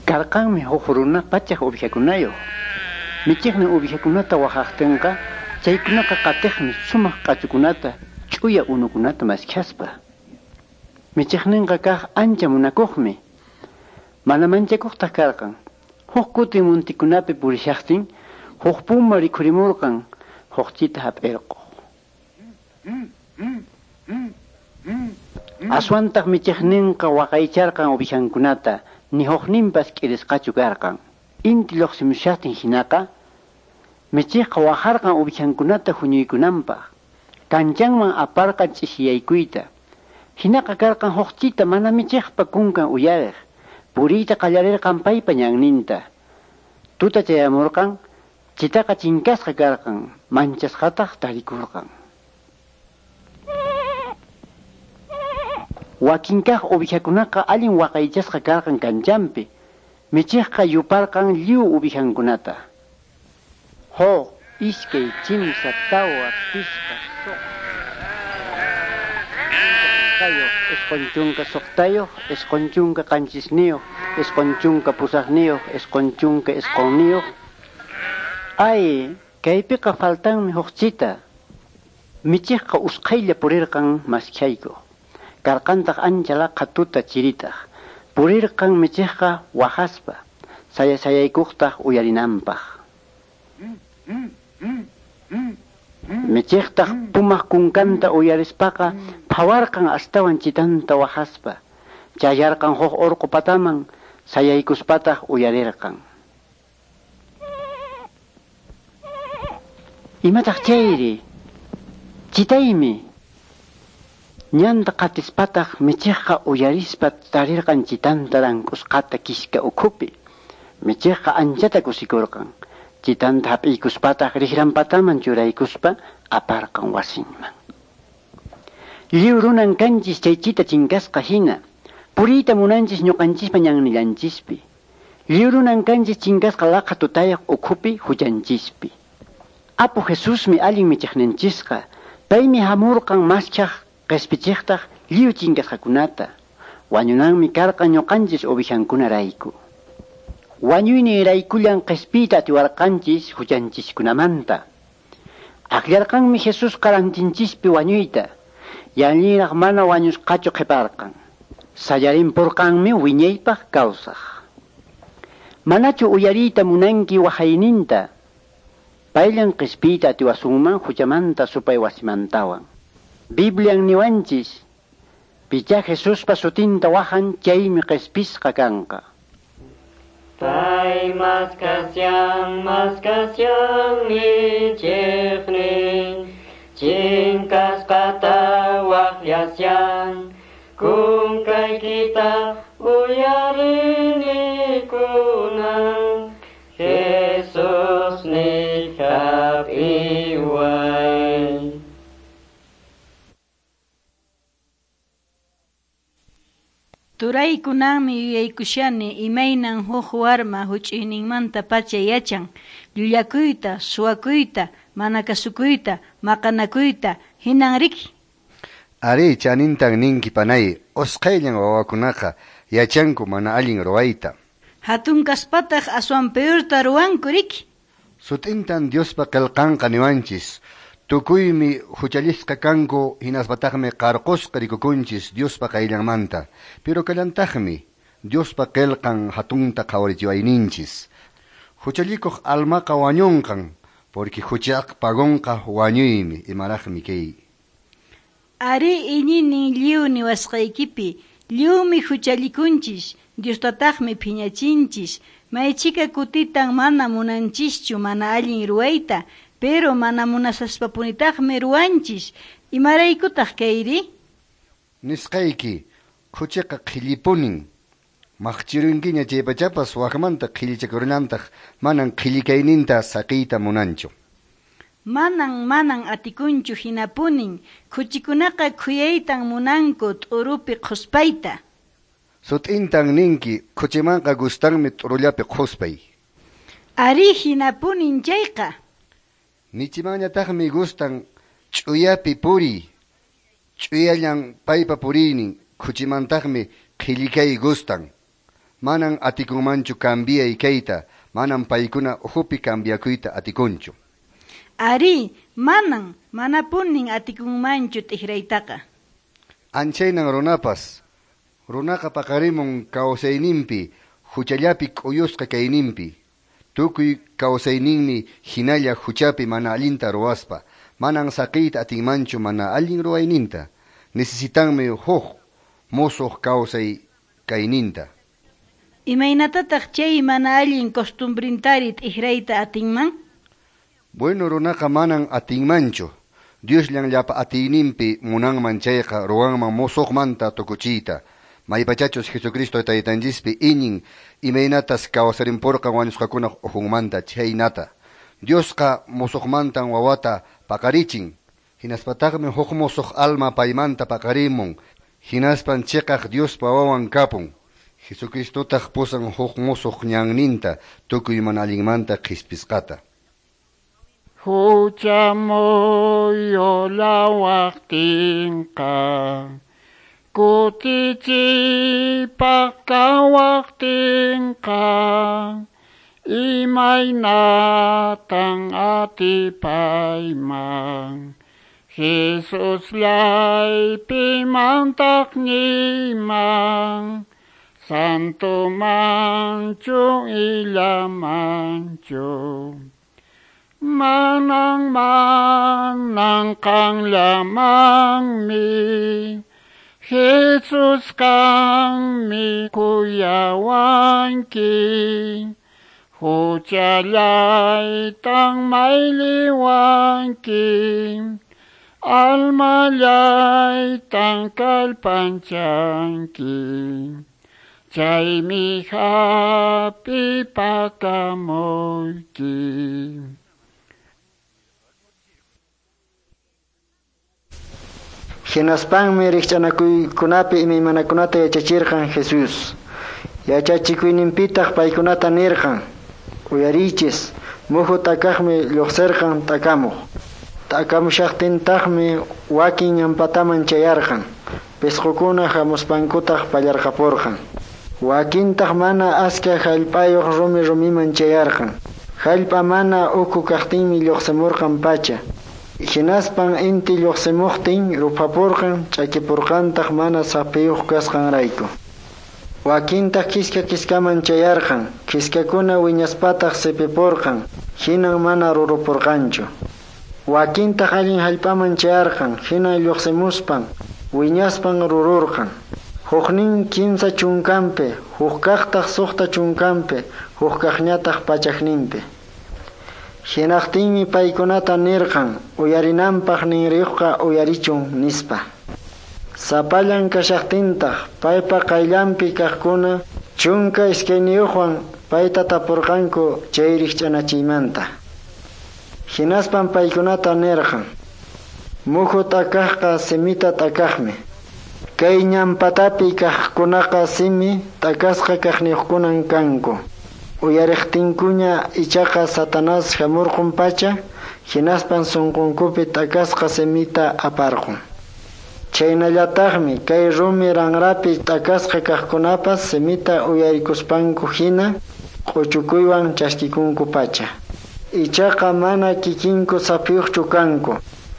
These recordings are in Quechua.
Karqanmi huk runa pachak uwihakunayuq. Michiqnin uwihakunata waqaqtinqa, chaykunaqa qatiqmi sumaq q'achukunata, ch'uya unukunata maskhaspa. Michiqninqa kaq ancha munakuqmi. Mana manchakuqtaq karqan. Huk kutin muntikunapi purishaqtin, huk puma rikhurimurqan, huk chita hap'irquq. Aswantaq michiqninqa waqaycharqan uwihankunata, ni hukninpas k'irisqachu karqan. Inti lluqsimushaqtin hinaqa, michiqqa waharqan uwihankunata huñuykunanpaq. Kanchanman aparqan ch'isiyaykuyta. Hinaqa karqan huk chita mana michiqpa kunkan uyariq. Puriyta qallarirqan paypa ñanninta. Tuta chayamurqan, chitaqa chinkasqa karqan, manchasqataq tarikurqan. Wakinkaq uwihakunaqa allin waqaychasqa karqan kanchanpi. Michiqqa yuparqan lliw uwihankunata. Huk, iskay, kimsa, tawa, pichqa, suqta, 96, 97, 98, 99. Ay, kaypiqa faltanmi huk chita. Michiqqa usqhaylla purirqan maskhaykuq. Karqantaq ancha laqha tuta chiritaq. Purirqan michiqqa waqaspa, sayasayaykuqtaq uyarinanpaq. Michiqtaq pumaq kunkanta uyarispaqa phawarqan astawan chitanta waqaspa. Chayarqan huk urqu pataman, sayaykuspataq uyarirqan. Imataq chayri? Chitaymi. Ñanta qatispataq michiqqa uyarispa tarirqan chitanta rank'usqata kiska ukhupi. Michiqqa anchata kusikurqan. Chitanta hap'iykuspataq riqranpataman churaykuspa aparqan wasinman. Lliw runan kanchis chay chita chinkasqa hina. Puriyta munanchis ñuqanchispa ñannillanchispi. Lliw runan kanchis chinkasqa laqha tutayaq ukhupi huchanchispi. Apu Jesusmi allin michiqninchisqa. Paymi hamurqan maskhaq qispichiqtaq lliw chinkasqakunata. Wañunanmi karqan ñuqanchis uwihankunarayku. Wañuyninraykullan qispiyta atiwarqanchis huchanchiskunamanta. Akllarqanmi Jesusqa rantinchispi wañuyta. Yallinraq mana wañusqachu qhiparqan. Sayarinpurqanmi wiñaypaq kawsaq. Manachu uyariyta munanki waqayninta. Payllan qispiyta atiwasunman huchamanta supay wasimantawan. Biblian niwanchis, pichá Jesuspa sutinta wahan chaymi qispisqa kanqa. Pay maskasyan, maskasyan michiqnin, chinkasqata waqyasyan, kunkaykita uyarini kunan, Jesus ni hap'iway. Turaykunanmi yuyaykushani imaynan huk warma huch'uyninmanta pacha yachan llullakuyta, suwakuyta, mana kasukuyta, maqanakuyta, hinan riki. Ari chanintan ninki panay, usqhayllan wawakunaqa yachanku mana allin ruwayta. Hatun kaspataq aswan peorta ruwanku riki. Sut'intan Diospa qillqanqa niwanchis. Tukuymi huchallisqa kanku hinaspataqmi qarqusqa rikukunchis Diospa qayllanmanta. Pero kallantaqmi Diospa qillqan hatunta qhawarichiwayninchis. Huchallikuq almaqa wañunqan, porque huchaq pagonqa wañuymi, imaraqmi kay. Ari iñinin lliw niwasqaykipi, lliwmi huchallikunchis, Diostataqmi phiñachinchis, maychika kutitan mana munanchischu mana allin ruwayta, pero mana munasaspapunitaqmi ruwanchis. Imaraykutaq kayri? Nisqayki, khuchiqa qhillipunin. Maqchirunkiña chay pachapas wakmanta qhillichakurunantaq manan qhillikayninta saqiyta munanchu. Manan atikunchu hinapunin. Khuchikunaqa khuyaytan munanku t'urupi qhuspayta. Sut'intan ninki, khuchimanqa gustanmi t'urullapi qhuspay. Ari hinapunin chayqa. Michimanñataqmi gustan ch'uyapi puriy. Ch'uyallan paypa puriynin, khuchimantaqmi qhillikay gustan. Manan atikunmanchu cambiay kayta, manan paykuna ukhupi cambiakuyta atikunchu. Arí, manan, manapunin atikunmanchu t'ikraytaqa. Anchaynan runapas. Runaqa paqarimun kawsayninpi huchallapi k'uyusqa kayninpi. Tukuy kawsayninmi hinalla huchapi mana allinta ruwaspa. Manan saqiyta atinmanchu mana allin ruwayninta. Necesitanmi huk musuq kawsay kayninta. Imaynatataq chay mana allin costumbrintari t'ikrayta atinman? Bueno, runaqa manan atinmanchu. Diosllan llapa atiyninpi munanman chayqa ruwanman musuqmanta tukuchiyta. Maypachachus Jesucristo taytanchispi iñin imaynatas kawsarinpurqan wañusqakunaq ukhunmanta chhaynata. Diosqa musuqmantan wawata paqarichin. Hinaspataqmi huk musuq alma paymanta paqarimun. Hinaspan chiqaq Diospa wawan kapun. Jesucristotaq pusan huk musuq ñanninta tukuy mana allinmanta qhispisqata. Hucha muyulawaqtinqa kutichiypaq kawaqtinqa imaynatan atipayman Jesusllay pimantaq niyman Santo manchu illamanchu Manang manang qanllamanmi Jesus kanmi kuyawanki Huchallaytan mayliwanki Almallaytan kallpanchanki Chaymi hap'ipakamuyki. Hinaspanmi rikch'anakuykunapi imaymanakunata yachachirqan Jesús. Yachachikuyninpitaq paykunata nirqan: Uyariychis, muhu t'akaqmi lluqsirqan t'akamuq. T'akamushaqtintaqmi wakin ñanpataman chayarqan. Pisqukuna hamuspankutaq pallarqapurqan. Wakintaq mana aska hallp'ayuq rumi rumiman chayarqan. Hallp'a mana ukhu kaqtinmi lluqsimurqan pacha. Hinaspan inti lluqsimuqtin ruphapurqan ch'akipurqantaq mana saphiyuq kasqanrayku. Wakintaq kiska kiskaman chayarqan, kiskakuna wiñaspataq sipipurqan, hinan mana rurupurqanchu. Wakintaq allin hallp'aman chayarqan, hinan lluqsimuspan, wiñaspan rururqan. Huknin 30, hukkaqtaq 60, hukkaqñataq 100. Hinaqtinmi paykunata nirqan, uyarinanpaq ninriyuqqa uyarichun nispa. Sapallan kashaqtintaq paypa qayllanpi kaqkuna 12wan payta tapurqanku chay rikch'anachiymanta. Hinaspan paykunata nirqan: Muhu t'akaqqa simita t'akaqmi. Kay ñanpatapi kaqkunaqa simi t'akasqa kaqniyuqkunan kanku. Uyariqtinkuña ichaqa Satanás hamurqun pacha, hinaspan sunqunkupi t'akasqa simita aparqun. Chaynallataqmi kay rumi ranrapi t'akasqa kaqkunapas simita uyarikuspanku hina q'uchukuywan chaskikunku pacha. Ichaqa mana kikinku saphiyuqchu kanku.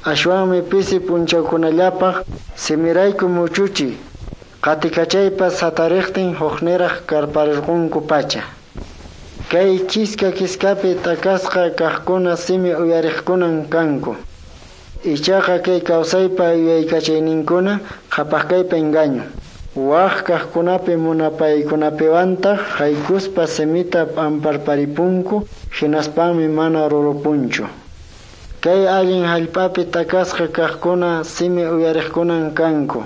Ashwanmi pisi p'unchawkunallapaq simirayku muchuchi qatikachaypas hatariqtin hukniraq karparirqunku pacha. Kay kiska kiskapi t'akasqa kaqkuna simi uyariqkunan kanku. Ichaqa kay kawsaypa yuyaykachayninkuna qhapaqkaypa engaño. Waq kaqkunapi munapaykunapiwantaq haykuspa simita p'amparparipunku hinaspanmi mana rurupunchu. Kay allin hallp'api t'akasqa kaqkuna simi uyariqkunan kanku.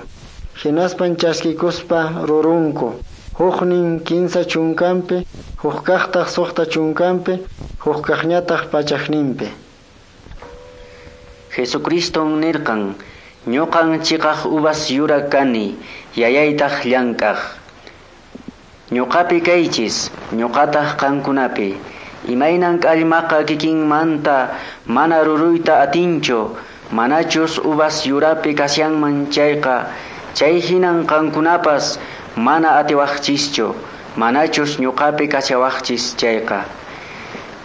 Hinaspan chaskikuspa rurunku. Huknin 30, hukkaqtaq 60, hukkaqñataq 100. Jesucriston nirqan, ñuqan chiqaq uvas yura kani, yayaytaq llank'aq. Ñuqapi kaychis, ñuqataq qankunapi. Imaynan k'allmaqa kikinmanta mana ruruyta atinchu, manachus uvas yurapi kasyanman chayqa, chay hinan qankunapas mana atiwaqchischu, manachus ñuqapi kashawaqchis chayqa.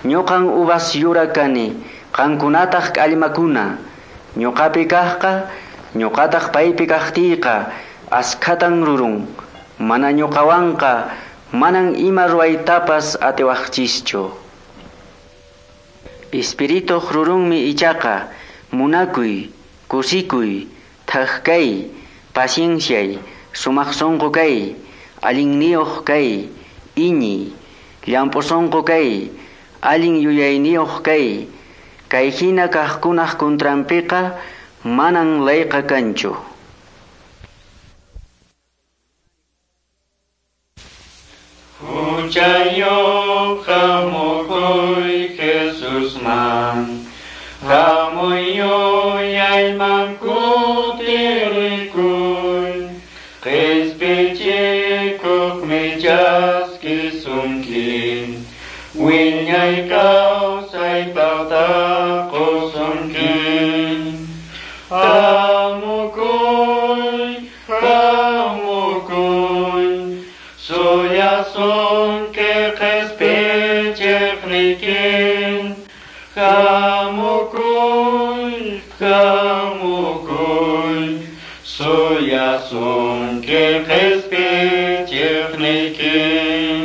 Ñuqan uvas yura kani, qankunataq k'allmakuna. Ñuqapi kaqqa, ñuqataq paypi kaqtiyqa, askhatan rurun. Mana ñuqawanqa, manan ima ruwaytapas atiwaqchischu. Espirituq rurunmi ichaqa, munakuy, kusikuy, thak kay, pacienciay, sumaq sunqu kay, allinniyuq kay, iñiy, llamp'u sunqu kay, allin yuyayniyuq kay. Kay hina kaqkunaq kuntranpiqa manan layqa kanchu. Huchayuq hamukuy Jesusman, hamuy yuyayman kutirikuy, qhispichikuqmi chaskisunki, wiñay kawsaypaqta qusunki. Hamukuy, hamukuy, suyasunki qhispichiqniykin. Hamukuy, hamukuy, suyasunki qhispichiqniykin.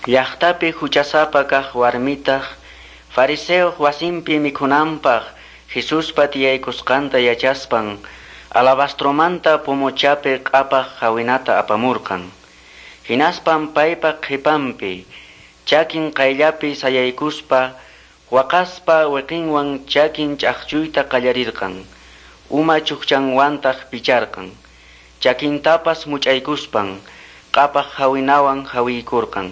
Llaqtapi huchasapa kaq warmitaq fariseoq wasinpi mikhunanpaq Jesuspa tiyaykusqanta yachaspan alabastromanta pumuchapi q'apaq hawinata apamurqan. Hinaspan paypa qhipanpi chakin qayllapi sayaykuspa waqaspa wiqinwan chakin ch'aqchuyta qallarirqan, uma chukchanwantaq picharqan, chakintapas much'aykuspan q'apaq hawinawan hawiykurqan.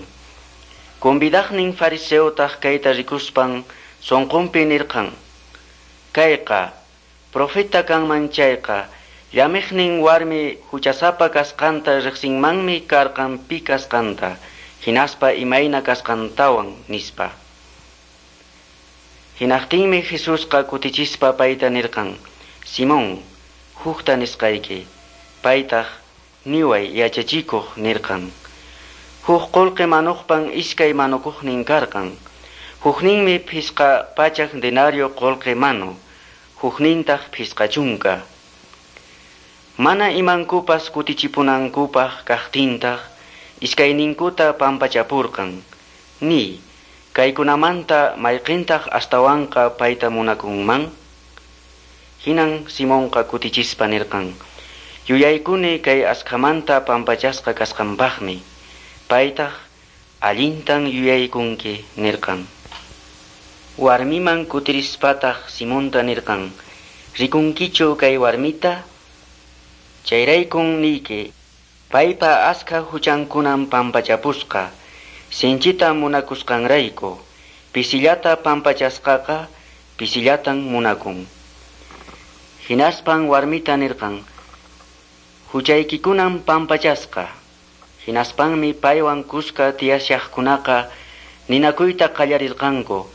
Convidaqnin fariseotaq kayta rikuspan sunqunpi nirqan: Kayqa profeta kanman chayqa, llamiqnin warmi huchasapa kasqanta riqsinmanmi karqan pi kasqanta, hinaspa imayna kasqantawan, nispa. Hinaqtinmi Jesusqa kutichispa payta nirqan: Simón, hukta nisqayki. Paytaq niway yachachikuq nirqan. Huk qullqi manuqpan iskay manukuqnin karqan. Hukninmi 500 denario qullqi manu, huknintaq 50. Mana imankupas kutichipunankupaq kaqtintaq iskayninkuta pampachapurqan. Ni, kaykunamanta mayqintaq astawanqa payta munakunman? Hinan Simonqa kutichispa nirqan: Yuyaykuni kay askhamanta pampachasqa kasqanpaqmi. Paytaq allintan yuyaykunki nirqan. Warmiman kutirispataq Simonta nirqan: Rikunkichu kay warmita? Chayraykun niyki, paypa askha huchankunan pampachapusqa, sinchita munakusqanrayku. Pisillata pampachasqaqa pisillatan munakun. Hinaspan warmita nirqan: Huchaykikunan pampachasqa. Hinaspanmi paywan kuska tiyashaqkunaqa ninakuyta qallarirqanku: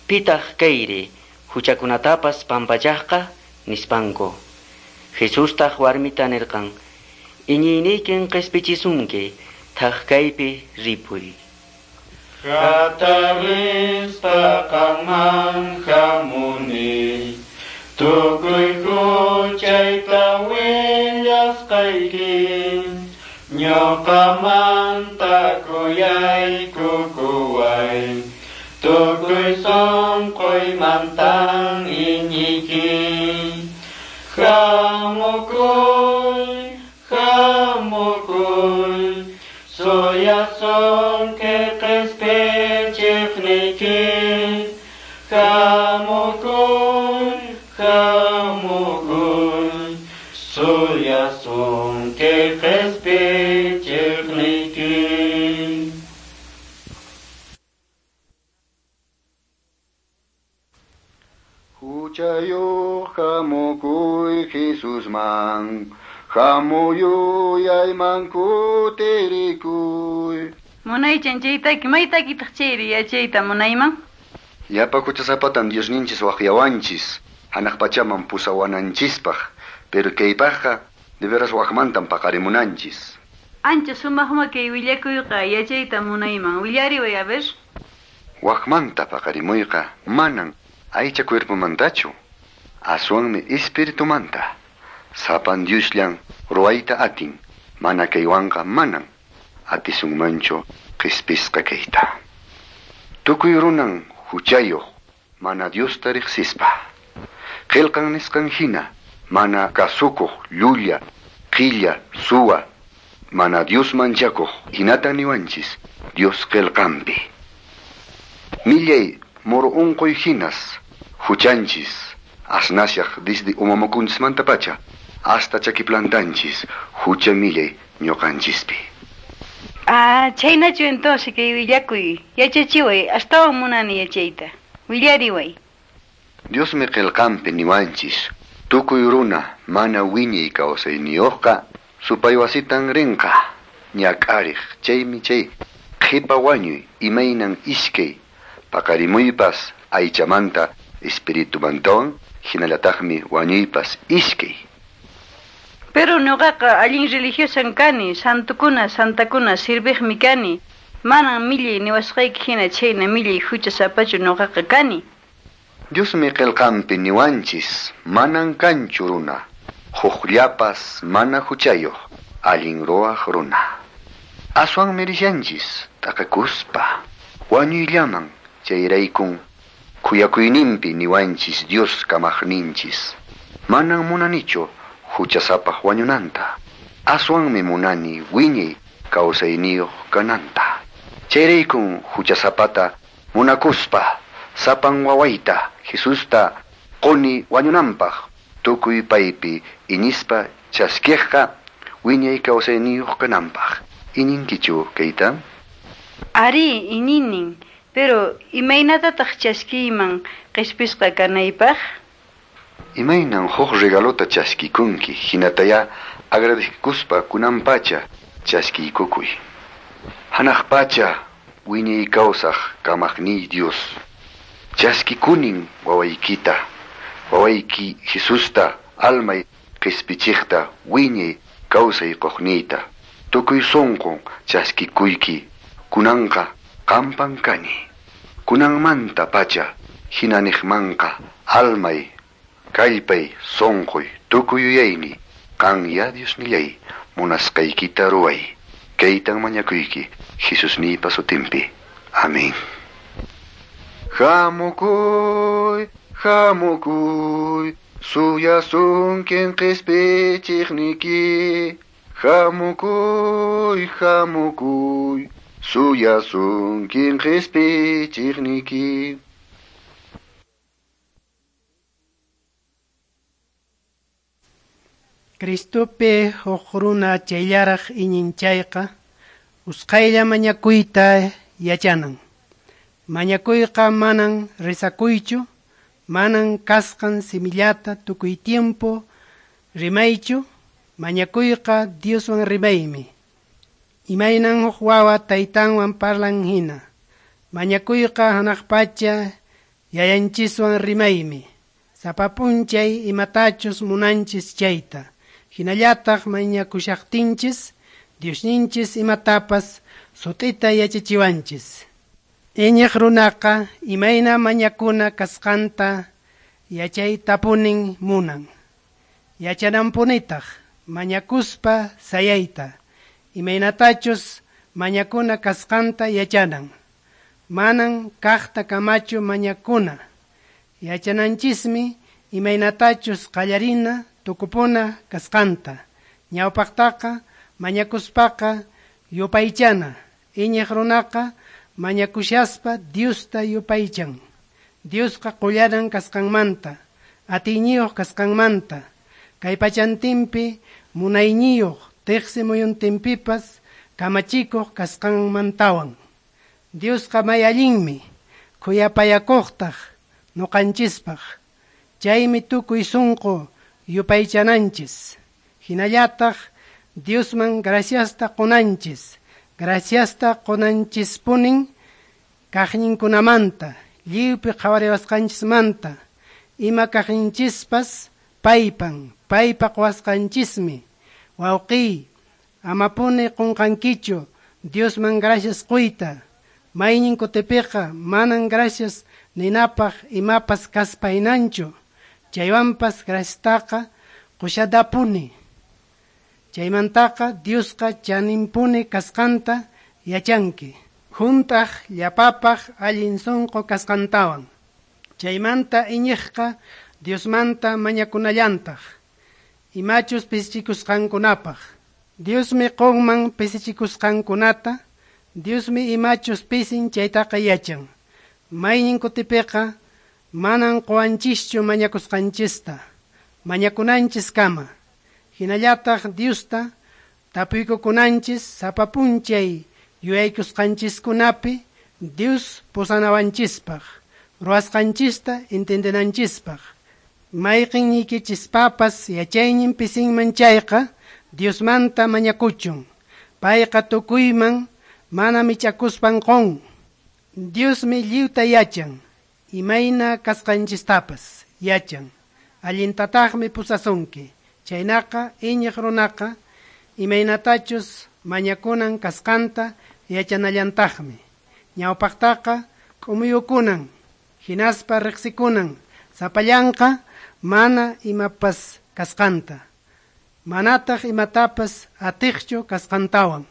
Pitaq kayri huchakunatapas pampachaqqa, nispanku. Jesustaq warmita nirqan: Iñiyniykin qispichisunki, thak kaypi ripuy. Hatarispa qanman hamuni, tukuy huchayta willasqayki, ñuqamanta kuyaykukuway, tukuy sunquymantan iñiyki. Hamukuy, hamukuy, suyasunki qhispichiqniyki. Hamukuy, hamukuy, suyasunki qhispichiqniyki. Huchayuq hamukuy Jesusman, hamuy yuyayman kutirikuy. Munaychan chaytaki, maytakitaq chayri yachayta munayman? Llapa huchasapatan Diosninchis waqyawanchis, hanaq pachaman pusawananchispaq, pero kaypaqqa de veras waqmantan paqarimunanchis. Ancha sumaqma kay willakuyqa yachayta munayman. Willariway, a ver. Wakmanta paqarimuyqa manan aycha cuerpomantachu, aswanmi espiritumanta. Sapan Diosllan ruwayta atin, mana kaywanqa manan atisunmanchu qhispisqa kayta. Tukuy runan huchayuq mana Diosta riqsispa. Qillqan nisqan hina mana kasukuq llulla, qilla, suwa, mana Dios manchakuq hinata niwanchis Dios qillqanpi. Millay moro unquy hinas huchanchis asnashaq desde umamakunchismantapacha hasta chakiplantanchis hucha millay ñuqanchispi. Ah, chhaynachu entonces kay willakuy. Yachachiway, astawan munani yachayta. Willariway. Diosmi qillqanpi niwanchis tukuy runa mana wiñay kawsayniyuqqa supay wasitan rinqa ñak'ariq chaymi chay qhipa wañuy imaynan iskay paqarimuypas aychamanta espiritumantawan hinallataqmi wañuypas iskay. Pero ñuqaqa allin religiosan kani, santukuna, santakuna sirviqmi kani. Manan millay niwasqayki hina chhayna millay huchasapachu ñuqaqa kani. Diosmi qillqanpi niwanchis manan kanchu runa, hukllapas mana huchayuq allin ruwaq runa. Aswanmi rishanchis t'aqakuspa wañuyllaman chayraykun khuyakuyninpi niwanchis Dios kamaqninchis. Manan munanichu huchasapaq wañunanta, aswanmi munani wiñay kawsayniyuq kananta. Chayraykun huchasapata munakuspa sapan wawayta Jesusta quni wañunanpaq tukuy paypi iñispa chaskiqqa wiñay kawsayniyuq kananpaq. Iñinkichu kayta? Ari, iñinin, pero imaynatataq chaskiyman qhispisqa kanaypaq? Imaynan huk regalota chaskikunki, hinataya agradecikuspa kunanpacha chaskiykukuy. Hanaq pacha wiñay kawsaq kamaqniy Dios. Chaskikunin wawaykita, wawayki Jesusta almay qispichiqta wiñay kawsay quqniyta. Tukuy sunqun chaskikuyki, kunanqa qampan kani. Kunanmanta pacha hinaniqmanqa almay, kallpay, sunquy, tukuy yuyayni, qan ya Diosnillay munasqaykita ruway. Kaytan mañakuyki Jesusniypa sutinpi. Amén. Hamukuy, hamukuy, suyasunkin qispichiqniki. Hamukuy, hamukuy, suyasunkin qispichiqniki. Cristopi huk runa chayllaraq iñinchayqa usqhaylla mañakuyta yachanan. Mañakuyqa manan rezakuychu, manan kasqan simillata tukuy tiempo rimaychu, mañakuyqa Dioswan rimaymi. Imaynan huk wawa taytanwan parlan hina. Mañakuyqa hanaq pacha yayanchiswan rimaymi. Sapa p'unchay imatachus munanchis chayta. Hinallataq mañakushaqtinchis, Diosninchis imatapas sut'ita yachachiwanchis. Iñiq runaqa imayna mañakuna kasqanta yachaytapunin munan. Yachananpunitaq mañakuspa sayayta, imaynatachus mañakuna kasqanta yachanan. Manan kaqta kamachu mañakuna. Yachananchismi imaynatachus qallarina tukupuna kasqanta. Ñawpaqtaqa mañakuspaqa yupaychana. Iñiq runaqa mañakushaspa Diosta yupaychan. Diosqa qullanan kasqanmanta, atiyniyuq kasqanmanta, kay pachantinpi munayniyuq tiqsi muyuntinpipas kamachikuq kasqanmantawan. Diosqa may allinmi, khuyapayakuqtaq ñuqanchispaq. Chaymi tukuy sunqu yupaychananchis. Hinallataq Diosman graciasta qunanchis. Graciasta qunanchispunin kaqninkunamanta, lliwpi qhawariwasqanchismanta, ima kaqninchispas paypan, paypa quwasqanchismi. Wawqiy, Amapuni qunqankichu Diosman gracias quyta. Maynin kutipiqa manan gracias ninapaq imapas kaspaynanchu. Chaywanpas graciastaqa qushadapuni. Chaymantaqa Diosqa chaninpuni kasqanta yachanki. Juntaq llapapaq allin sunqu kasqantawan. Chaymanta iñiqqa Diosmanta mañakunallantaq. Imachus pisichikusqankunapaq. Diosmi qunman pisichikusqankunata, Diosmi imachus pisin chaytaqa yachan. Maynin kutipiqa manan quwanchischu mañakusqanchista, mañakunanchiskama. Hinallataq Diosta tapuykukunanchis sapa p'unchay yuyaykusqanchiskunapi Dios pusanawanchispaq, ruwasqanchista entendenanchispaq. Mayqinniykichispapas yachaynin pisinman chayqa Diosmanta mañakuchun. Payqa tukuyman mana mich'akuspan qun. Diosmi lliwta yachan, imayna kasqanchistapas yachan. Allintataqmi pusasunki. Chaynaqa iñiq runaqa imaynatachus mañakunan kasqanta yachanallantaqmi. Ñawpaqtaqa k'umuyukunan, hinaspa riqsikunan, sapallanqa mana imapas kasqanta. Manataq imatapas atiqchu kasqantawan.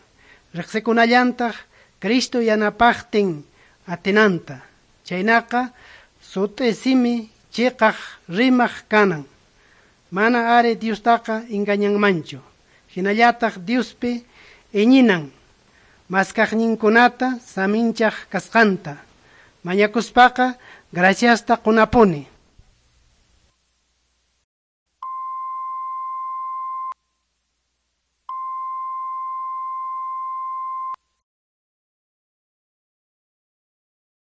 Riqsikunallantaq Cristo yanapaqtin atinanta. Chaynaqa sut'i simi chiqaq rimaq kanan. Mana ari Diostaqa engañanmanchu. Hinallataq Diospi iñinan. Maskaqninkunata saminchaq kasqanta. Mañakuspaqa graciasta qunapuni.